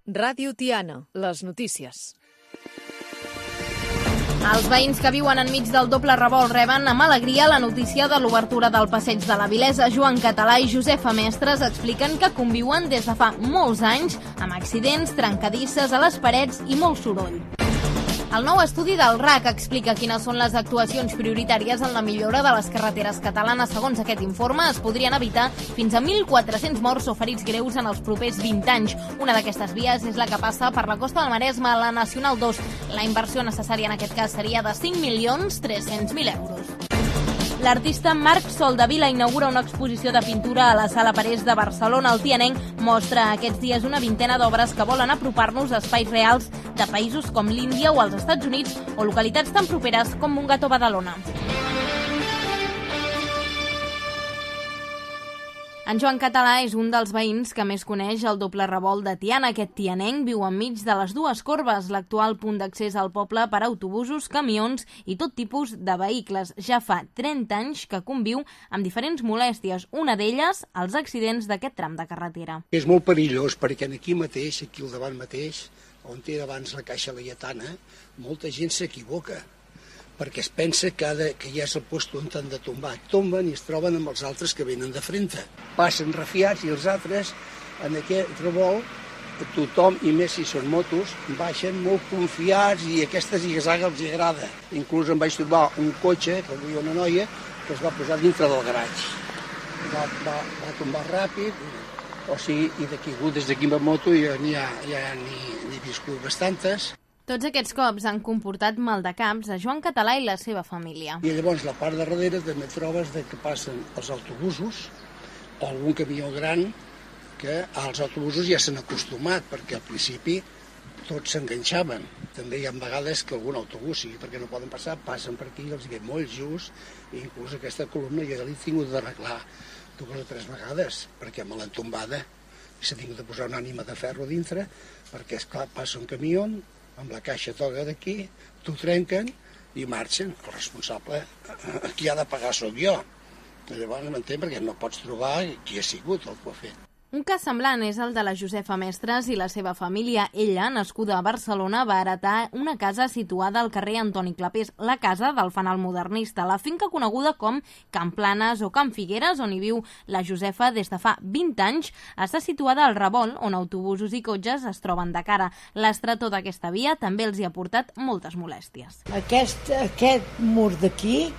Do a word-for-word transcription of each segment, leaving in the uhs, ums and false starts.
Ràdio Tiana, les notícies. Els veïns que viuen enmig del doble revolt reben amb alegria la notícia de l'obertura del passeig de la Vilesa. Joan Català i Josefa Mestres expliquen que conviuen des de fa molts anys amb accidents, trencadisses a les parets i molt soroll. El nou estudi del R A C explica quines són les actuacions prioritàries en la millora de les carreteres catalanes. Segons aquest informe, es podrien evitar fins a mil quatre-cents morts o ferits greus en els propers vint anys. Una d'aquestes vies és la que passa per la costa del Maresme, la Nacional dos. La inversió necessària en aquest cas seria de cinc milions tres-cents mil euros. L'artista Marc Soldevila inaugura una exposició de pintura a la Sala Parés de Barcelona. El tianenc mostra aquests dies una vintena d'obres que volen apropar-nos a espais reals de països com l'Índia o els Estats Units o localitats tan properes com Montgat o Badalona. En Joan Català és un dels veïns que més coneix el doble revolt de Tiana. Aquest tianenc viu enmig de les dues corbes, l'actual punt d'accés al poble per a autobusos, camions i tot tipus de vehicles. Ja fa trenta anys que conviu amb diferents molèsties, una d'elles els accidents d'aquest tram de carretera. És molt perillós perquè aquí mateix, aquí al davant mateix, on té abans la caixa laietana, molta gent s'equivoca, perquè es pensa que, ha de, que ja és el lloc on han de tombar. Tomben i es troben amb els altres que venen de frente. Passen refiats i els altres, en aquest revolt, tothom, i més si són motos, baixen molt confiats i aquesta zigazaga els agrada. Inclús em vaig trobar un cotxe, que duia una noia, que es va posar dintre del garatge. Va, va, va tombar ràpid, o sigui, i de caigut des d'aquí amb moto ja n'hi ha, ja n'hi he viscut bastantes. Tots aquests cops han comportat maldecaps a Joan Català i la seva família. I llavors la part de darrere també trobes de que passen els autobusos o algun camió gran que als autobusos ja s'han acostumat perquè al principi tots s'enganxaven. També hi ha vegades que algun autobús, sí, perquè no poden passar, passen per aquí i els ve molt just i inclús aquesta columna ja l'he tingut d'arreglar dues o tres vegades perquè me l'han tombada i s'ha tingut de posar una ànima de ferro dintre perquè, esclar, passa un camió amb la caixa toga d'aquí, t'ho trenquen i marxen. El responsable, qui ha de pagar sóc jo. Llavors m'entén perquè no pots trobar qui ha sigut el que ho ha fet. Un cas semblant és el de la Josefa Mestres i la seva família. Ella, nascuda a Barcelona, va heretar una casa situada al carrer Antoni Clapés, la casa del fanal modernista, la finca coneguda com Can Planes o Can Figueres, on hi viu la Josefa des de fa vint anys, està situada al revolt, on autobusos i cotxes es troben de cara. L'estretor d'aquesta via també els hi ha portat moltes molèsties. Aquest, aquest mur d'aquí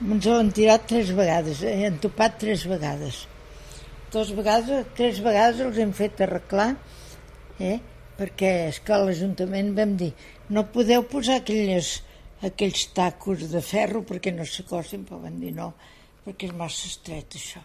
ens l'han tirat tres vegades, han topat tres vegades. Dos vegades, tres vegades els hem fet arreglar, eh? perquè és que a l'Ajuntament vam dir no podeu posar aquelles, aquells tacos de ferro perquè no s'acostin, però van dir no, perquè és massa estret això.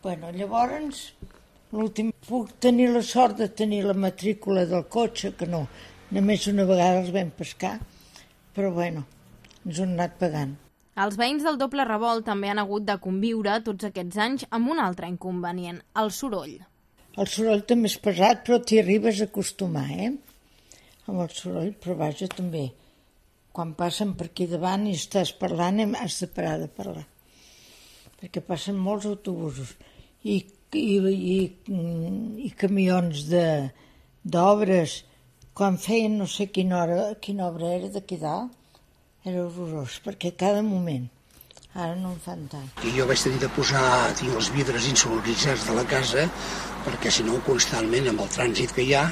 Bueno, llavors, l'últim, puc tenir la sort de tenir la matrícula del cotxe, que no, només una vegada els vam pescar, però bueno, ens ho han anat pagant. Els veïns del doble revolt també han hagut de conviure tots aquests anys amb un altre inconvenient, el soroll. El soroll també és pesat, però t'hi arribes a acostumar, eh? Amb el soroll, però vaja, també. Quan passen per aquí davant i estàs parlant, has de parar de parlar. Perquè passen molts autobusos i, i, i, i camions d'obres. Quan feien no sé quina, hora, quina obra era d'aquí dalt, era horrorós, perquè cada moment, ara no en fan tant. I jo vaig tenir de posar, tinc els vidres insonoritzats de la casa, perquè si no constantment amb el trànsit que hi ha,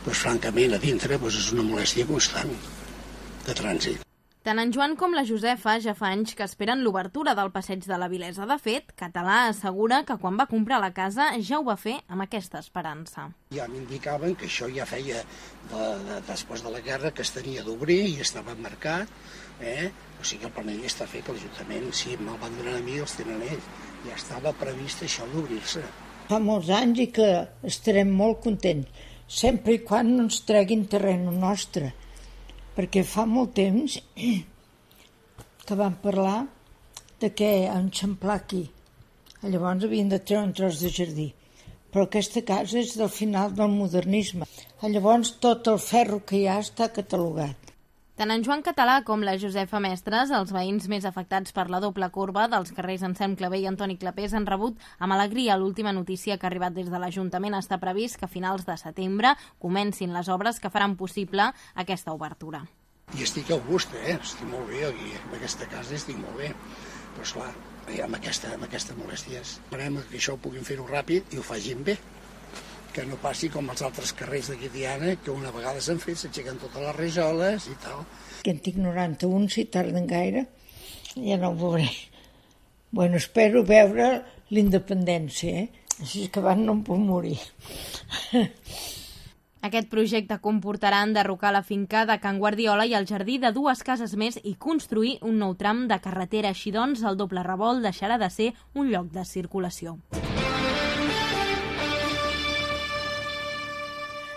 doncs francament a dintre doncs és una molèstia constant de trànsit. Tant en Joan com la Josefa ja fa anys que esperen l'obertura del passeig de la Vilesa. De fet, Català assegura que quan va comprar la casa ja ho va fer amb aquesta esperança. Ja m'indicaven que això ja feia de, de, després de la guerra que es tenia d'obrir i estava marcat, eh? O sigui, el planell està fet, l'Ajuntament, si me'l van donar a mi, els tenen ells. Ja estava previst això d'obrir-se. Fa molts anys i que estarem molt contents, sempre i quan no ens treguin terreny nostre, perquè fa molt temps que vam parlar de que enxamplar aquí. Llavors havien de treure un tros de jardí. Però aquesta casa és del final del modernisme. Llavors tot el ferro que hi ha està catalogat. Tant en Joan Català com la Josefa Mestres, els veïns més afectats per la doble corba dels carrers Anselm Clavé i Antoni Clapés, han rebut amb alegria l'última notícia que ha arribat des de l'Ajuntament. Està previst que a finals de setembre comencin les obres que faran possible aquesta obertura. I estic a gust, eh? Estic molt bé aquí, en aquesta casa estic molt bé. Però, esclar, amb, aquesta, amb aquestes molèsties, esperem que això ho puguin fer-ho ràpid i ho facin bé. Que no passi com els altres carrers d'aquí Tiana, que una vegada s'han fet, s'aixequen totes les rajoles i tal. Que en tinc noranta-un, si tarden gaire, ja no ho veuré. Bueno, espero veure l'independència, eh? Així que abans no em puc morir. Aquest projecte comportarà enderrocar la finca de Can Guardiola i el jardí de dues cases més i construir un nou tram de carretera. Així doncs, el doble revolt deixarà de ser un lloc de circulació.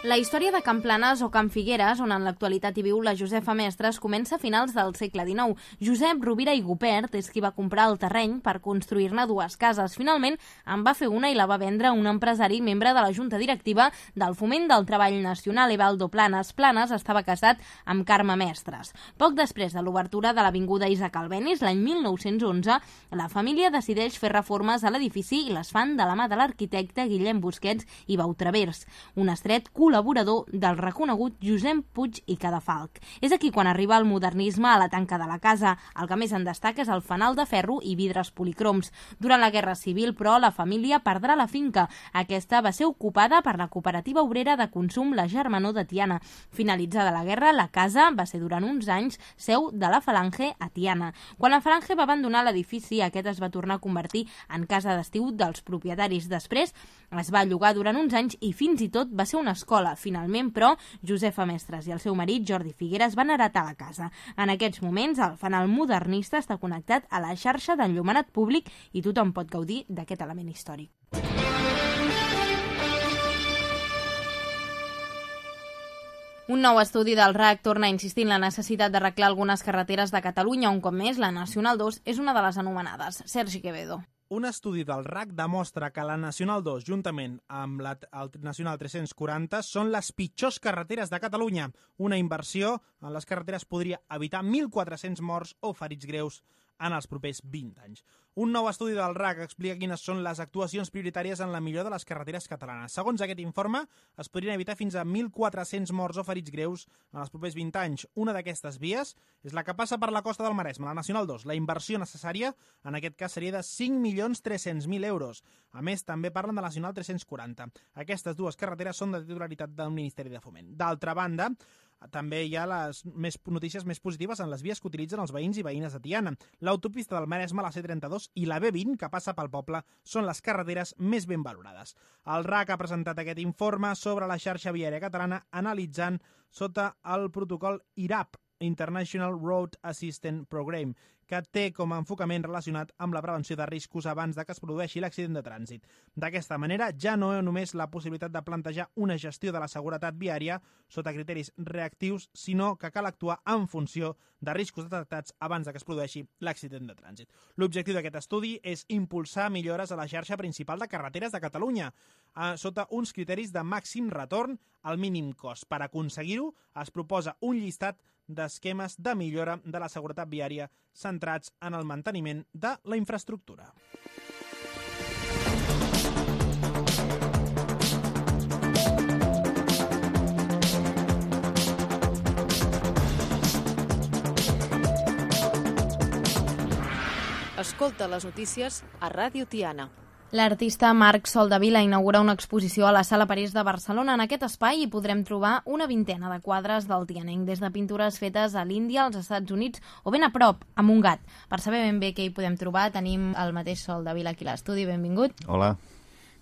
La història de Can Planes o Can Figueres, on en l'actualitat hi viu la Josefa Mestres, comença a finals del segle dinou. Josep Rovira i Gupert és qui va comprar el terreny per construir-ne dues cases. Finalment, en va fer una i la va vendre a un empresari membre de la junta directiva del Foment del Treball Nacional, Evaldo Planes. Planes estava casat amb Carme Mestres. Poc després de l'obertura de l'avinguda Isaac Albéniz, l'any mil nou-cents onze, la família decideix fer reformes a l'edifici i les fan de la mà de l'arquitecte Guillem Busquets i Bautravers, un estret col·laborador del reconegut Josep Puig i Cadafalch. És aquí quan arriba el modernisme a la tanca de la casa. El que més en destaca és el fanal de ferro i vidres policroms. Durant la Guerra Civil, però, la família perdrà la finca. Aquesta va ser ocupada per la cooperativa obrera de consum La Germanor de Tiana. Finalitzada la guerra, la casa va ser durant uns anys seu de la Falange a Tiana. Quan la Falange va abandonar l'edifici, aquest es va tornar a convertir en casa d'estiu dels propietaris. Després es va llogar durant uns anys i fins i tot va ser una escola. Finalment, però, Josefa Mestres i el seu marit, Jordi Figueres, van heretar la casa. En aquests moments, el fanal modernista està connectat a la xarxa d'enllumenat públic i tothom pot gaudir d'aquest element històric. Un nou estudi del R A C torna a insistir en la necessitat d'arreglar algunes carreteres de Catalunya. Un cop més, la Nacional dos és una de les anomenades. Sergi Quevedo. Un estudi del R A C demostra que la Nacional dos, juntament amb la el Nacional tres-cents quaranta, són les pitjors carreteres de Catalunya. Una inversió en les carreteres podria evitar mil quatre-cents morts o ferits greus en els propers vint anys. Un nou estudi del R A C explica quines són les actuacions prioritàries en la millora de les carreteres catalanes. Segons aquest informe, es podrien evitar fins a mil quatre-cents morts o ferits greus en els propers vint anys. Una d'aquestes vies és la que passa per la costa del Maresme, la Nacional dos. La inversió necessària, en aquest cas, seria de cinc milions tres-cents mil euros. A més, també parlen de la Nacional tres-cents quaranta. Aquestes dues carreteres són de titularitat del Ministeri de Foment. D'altra banda, també hi ha les més notícies més positives en les vies que utilitzen els veïns i veïnes de Tiana. L'autopista del Maresme, la C trenta-dos i la B vint, que passa pel poble, són les carreteres més ben valorades. El R A C ha presentat aquest informe sobre la xarxa viària catalana analitzant sota el protocol I R A P, International Road Assistance Program, que té com a enfocament relacionat amb la prevenció de riscos abans de que es produeixi l'accident de trànsit. D'aquesta manera, ja no hi ha només la possibilitat de plantejar una gestió de la seguretat viària sota criteris reactius, sinó que cal actuar en funció de riscos detectats abans de que es produeixi l'accident de trànsit. L'objectiu d'aquest estudi és impulsar millores a la xarxa principal de carreteres de Catalunya, eh, sota uns criteris de màxim retorn al mínim cost. Per aconseguir-ho, es proposa un llistat d'esquemes de millora de la seguretat viària centrats en el manteniment de la infraestructura. Escolta les notícies a Ràdio Tiana. L'artista Marc Soldevila inaugura una exposició a la Sala Parés de Barcelona. En aquest espai hi podrem trobar una vintena de quadres del tianenc, des de pintures fetes a l'Índia, als Estats Units o ben a prop, a Montgat. Per saber ben bé què hi podem trobar, tenim el mateix Soldevila aquí a l'estudi. Benvingut. Hola.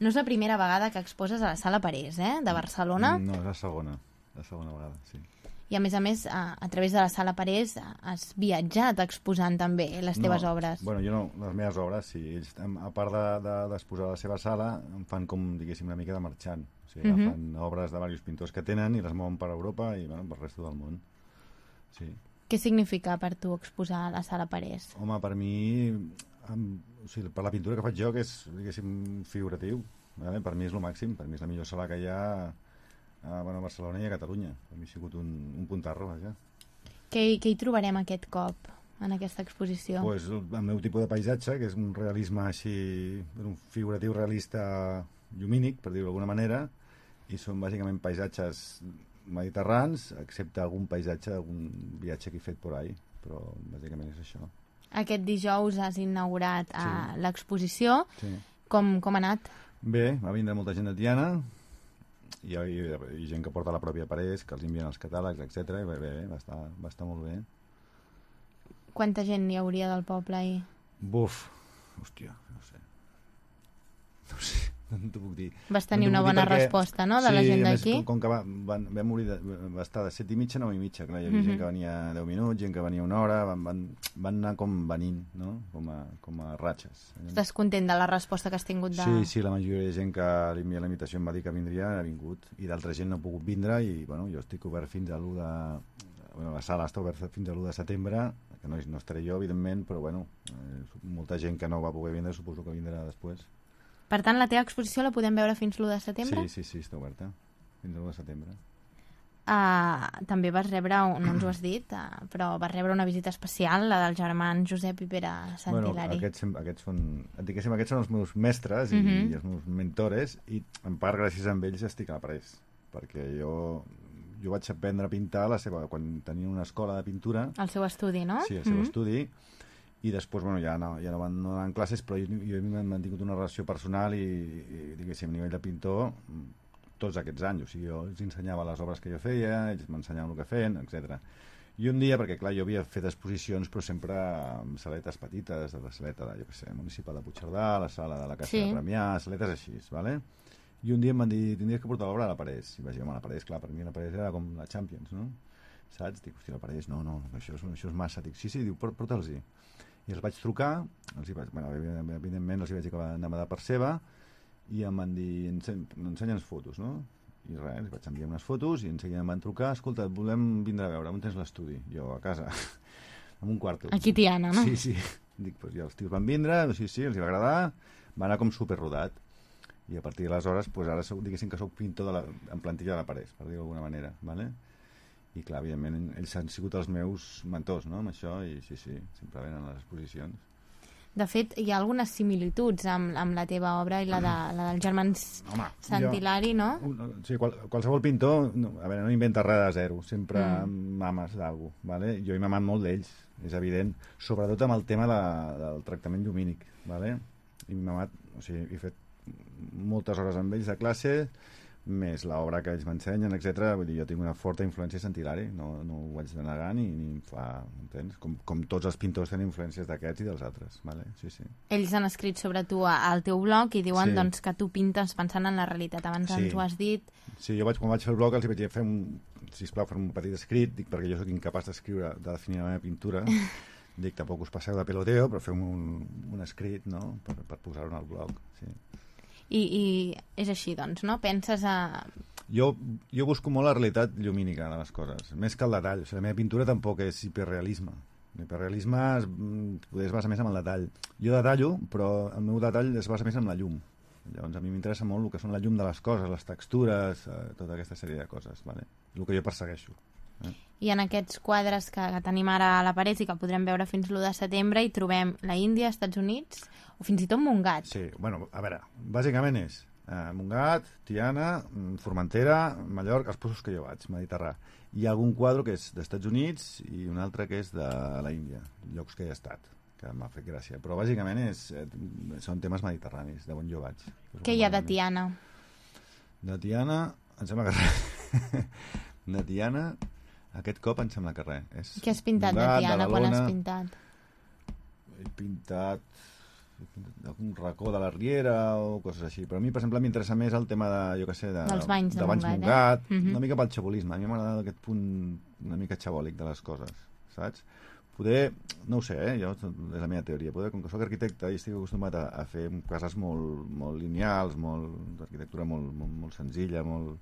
No és la primera vegada que exposes a la Sala Parés, eh, de Barcelona. No, és la segona, la segona vegada, sí. I a més a més, a, a través de la Sala Parés has viatjat exposant també les teves no, obres. Bueno, jo no, les meves obres, sí. Ells, a part d'exposar de, de, a la seva sala, em fan com, diguéssim, una mica de marxant. O sigui, uh-huh. Fan obres de diversos pintors que tenen i les mouen per Europa i, bueno, per el resto del món. Sí. Què significa per tu exposar a la Sala Parés? Home, per mi, amb, o sigui, per la pintura que faig jo, que és, diguéssim, figuratiu, vale? Per mi és el màxim, per mi és la millor sala que hi ha a, bueno, a Barcelona i a Catalunya. Per mi ha sigut un, un puntarro, vaja. Què, què hi trobarem aquest cop en aquesta exposició? Pues, el meu tipus de paisatge, que és un realisme així, un figuratiu realista llumínic, per dir-ho d'alguna manera, i són bàsicament paisatges mediterrans, excepte algun paisatge, algun viatge que he fet por ahí, però bàsicament és això. Aquest dijous has inaugurat sí. uh, l'exposició. Sí. Com, com ha anat? Bé, va vindre molta gent de Tiana, i hi ha, hi ha, hi ha gent que porta la pròpia Parés, que els envien els catàlegs, etcètera. I bé, bé, va estar, va estar molt bé. Quanta gent hi hauria del poble ahir? Buf, hòstia, no sé. No sé. No t'ho puc dir. Vas tenir no una bona perquè... resposta, no?, de sí, la gent d'aquí? d'aquí. Sí, com, com que va, van, vam morir de, va estar de set i mitja a nou i mitja. Clar, hi havia mm-hmm. gent que venia deu minuts, gent que venia una hora, van, van, van anar com venint, no?, com a, com a ratxes. Estàs content de la resposta que has tingut? De... Sí, sí, la majoria de gent que li envia la invitació em va dir que vindria, ha vingut, i d'altra gent no ha pogut vindre, i bueno, jo estic obert fins a l'u de... Bueno, la sala està oberta fins a l'u de setembre, que no, no estaré jo, evidentment, però bueno, eh, molta gent que no va poder vindre, suposo que vindrà després. Per tant, la teva exposició la podem veure fins l'u de setembre? Sí, sí, sí, està oberta. Fins a l'u de setembre. Uh, també vas rebre, no ens ho has dit, uh, però vas rebre una visita especial, la dels germans Josep i Pere Santilari. Bueno, aquests, aquests són, diguéssim, aquests són els meus mestres i, uh-huh. i els meus mentores, i en part gràcies a ells estic a Parés, perquè jo, jo vaig aprendre a pintar la seva, quan tenia una escola de pintura. El seu estudi, no? Sí, el seu uh-huh. estudi. I després, bueno, ja no, ja no van no en classes, però jo, jo he mantingut una relació personal i, i diguéssim, a nivell de pintor tots aquests anys. O sigui, jo els ensenyava les obres que jo feia, ells m'ensenyaven el que feien, etcètera. I un dia, perquè clar, jo havia fet exposicions, però sempre amb saletes petites, de la saleta de, jo què sé, municipal de Puigcerdà, la sala de la Caixa sí. de Premià, saletes així, vale? I un dia em van dir, tindries que portar l'obra a la Parés. I vaig dir, home, la Parés, clar, per mi la Parés era com la Champions, no? Saps? Dic, hòstia, la Parés, no, no, això és, això és massa. Dic, sí, sí, diu, porta'ls-hi. I els vaig trucar, els hi vaig, bueno, evidentment els hi vaig dir que anava de part seva, i em van dir, ensenya'ns fotos, no? I res, els vaig enviar unes fotos i enseguida em van trucar, escolta, volem vindre a veure, on tens l'estudi? Jo, a casa, en un quarto. Aquí Tiana, no? Sí, sí. Dic, doncs ja els tios van vindre, sí, sí, els hi va agradar, va anar com superrodat. I a partir d'aleshores, doncs ara soc, diguéssim que soc pintor de la, en plantilla de la Parés, per dir-ho d'alguna manera, ¿vale? I clar, evidentment, ells han sigut els meus mentors, no?, amb això, i sí, sí, sempre venen a les exposicions. De fet, hi ha algunes similituds amb, amb la teva obra i la, de, la dels germans Home, Santilari, jo, no? Un, sí, qual, qualsevol pintor, no, a veure, no inventa res de zero, sempre mm. mames d'algú, ¿vale? Jo he mamat molt d'ells, és evident, sobretot amb el tema de, del tractament llumínic, ¿vale? He mamat, o sigui, he fet moltes hores amb ells de classe, més l'obra que ells m'ensenyen, etcètera. Vull dir, jo tinc una forta influència Santilari, no, no ho vaig de negar ni, ni em fa, entens? Com, com tots els pintors tenen influències d'aquests i dels altres, vale? Sí, sí. Ells han escrit sobre tu al teu blog i diuen sí. doncs, que tu pintes pensant en la realitat. Abans sí. ens ho has dit. Sí, jo vaig, quan vaig fer el blog els vaig dir, fer un, sisplau, fer un petit escrit, dic, perquè jo sóc incapaç d'escriure, de definir la meva pintura. Dic, tampoc us passeu de peloteo, però fem un, un escrit, no?, per, per posar-ho en el blog, sí. I, i és així, doncs, no? Penses a... Jo, jo busco molt la realitat llumínica de les coses, més que el detall. O sigui, la meva pintura tampoc és hiperrealisme. L'hiperrealisme es, es basa més en el detall. Jo detallo, però el meu detall es basa més en la llum. Llavors, a mi m'interessa molt el que són la llum de les coses, les textures, eh, tota aquesta sèrie de coses, vale? El que jo persegueixo. Eh? I en aquests quadres que, que tenim ara a la paret i que podrem veure fins l'u de setembre hi trobem la Índia, Estats Units o fins i tot Montgat. Sí, bueno, a veure, bàsicament és eh, Montgat, Tiana, Formentera, Mallorca, els posos que jo vaig, Mediterrà. Hi ha algun quadre que és d'Estats Units i un altre que és de la Índia, llocs que he estat, que m'ha fet gràcia. Però bàsicament és, eh, són temes mediterranis, de on jo vaig. Què hi ha de Tiana? De Tiana, em sembla que de Tiana... Aquest cop em sembla que res. És què has pintat Montgat, de Tiana quan has pintat? He pintat, he pintat algun racó de la Riera o coses així. Però a mi, per exemple, m'interessa més el tema de, jo què sé, de, dels banys de, de banys Montgat, Montgat eh? uh-huh. Una mica pel xabolisme. A mi m'agrada aquest punt una mica xabòlic de les coses, saps? Poder, no ho sé, eh? Jo, és la meva teoria, poder, com que soc arquitecte i estic acostumat a, a fer cases molt, molt lineals, molt, d'arquitectura molt, molt, molt senzilla, molt...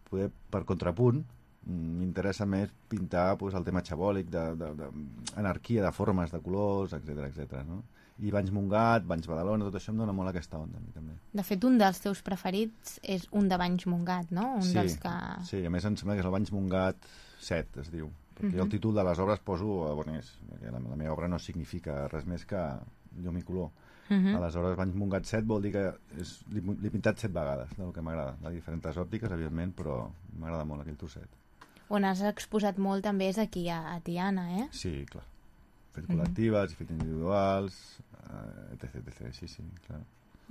poder, per contrapunt, m'interessa més pintar pues, el tema xabòlic, d'anarquia, de, de, de formes, de colors, etcètera, etcètera, no? I Banys Montgat, Banys Badalona, tot això em dona molt aquesta onda a mi també. De fet, un dels teus preferits és un de Banys Montgat, no? Un sí, dels que... sí, a més em sembla que és el Banys Montgat set, es diu. perquè jo el títol de les obres poso aboners, perquè la, la meva obra no significa res més que llum i color. Uh-huh. Aleshores, Banys Montgat set vol dir que és, l'he pintat set vegades, del que m'agrada, de diferents òptiques, evidentment, però m'agrada molt aquell trosset. On has exposat molt també és aquí a, a Tiana, eh? Sí, clar. Fet col·lectives, uh-huh. fet individuals, etc, etc, sí, sí, clar.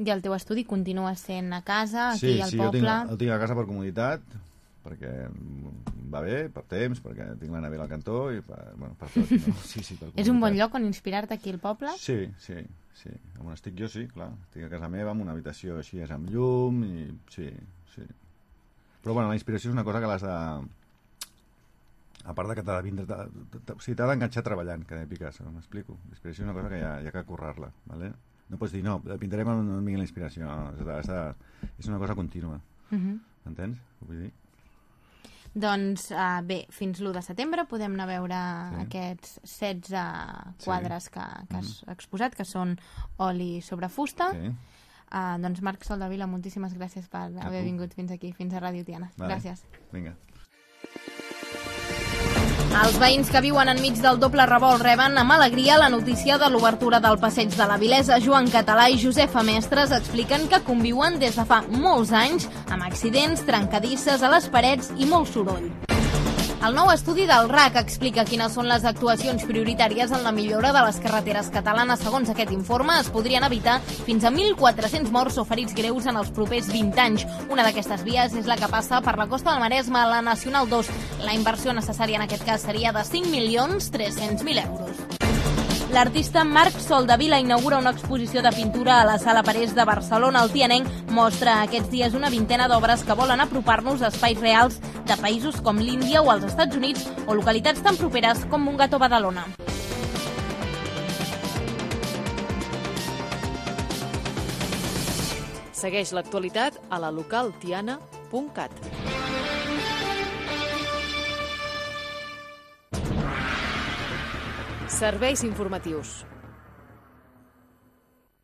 I el teu estudi continua sent a casa, aquí sí, al sí, poble? Sí, sí, el tinc a casa per comoditat, perquè va bé, per temps, perquè tinc la nevera al cantó i per, bueno, per tot. No? Sí, sí, per és un bon lloc on inspirar-te aquí al poble? Sí, sí, sí. On estic jo, sí, clar. Estic a casa meva, amb una habitació així, és amb llum, i sí, sí. Però, bueno, la inspiració és una cosa que l'has de... A part de que t'ha de vindre... O sigui, t'ha d'enganxar treballant, que deia Picasso, m'explico. La inspiració és una cosa que hi ha, hi ha que currar-la, ¿vale? No pots dir, no, pintarem on no vingui la inspiració. No, és, de, és una cosa contínua. Uh-huh. Entens? Ho vull dir? Doncs uh, bé, fins l'u de setembre podem anar a veure sí. aquests setze quadres sí. que, que has mm. exposat, que són oli sobre fusta. Sí. Uh, doncs Marc Soldevila, moltíssimes gràcies per a haver tu. vingut fins aquí, fins a Ràdio Tiana. Vale. Gràcies. Vinga. Els veïns que viuen enmig del doble revolt reben amb alegria la notícia de l'obertura del Passeig de la Vilesa. Joan Català i Josefa Mestres expliquen que conviuen des de fa molts anys amb accidents, trencadisses a les parets i molt soroll. El nou estudi del R A C explica quines són les actuacions prioritàries en la millora de les carreteres catalanes. Segons aquest informe, es podrien evitar fins a mil quatre-cents morts o ferits greus en els propers vint anys. Una d'aquestes vies és la que passa per la costa del Maresme, la Nacional dos. La inversió necessària en aquest cas seria de cinc milions tres-cents mil euros. L'artista Marc Soldevila inaugura una exposició de pintura a la Sala Parés de Barcelona. El tianenc mostra aquests dies una vintena d'obres que volen apropar-nos a espais reals de països com l'Índia o els Estats Units o localitats tan properes com Montgat o Badalona. Segueix l'actualitat a la local tiana punt cat. Serveis informatius.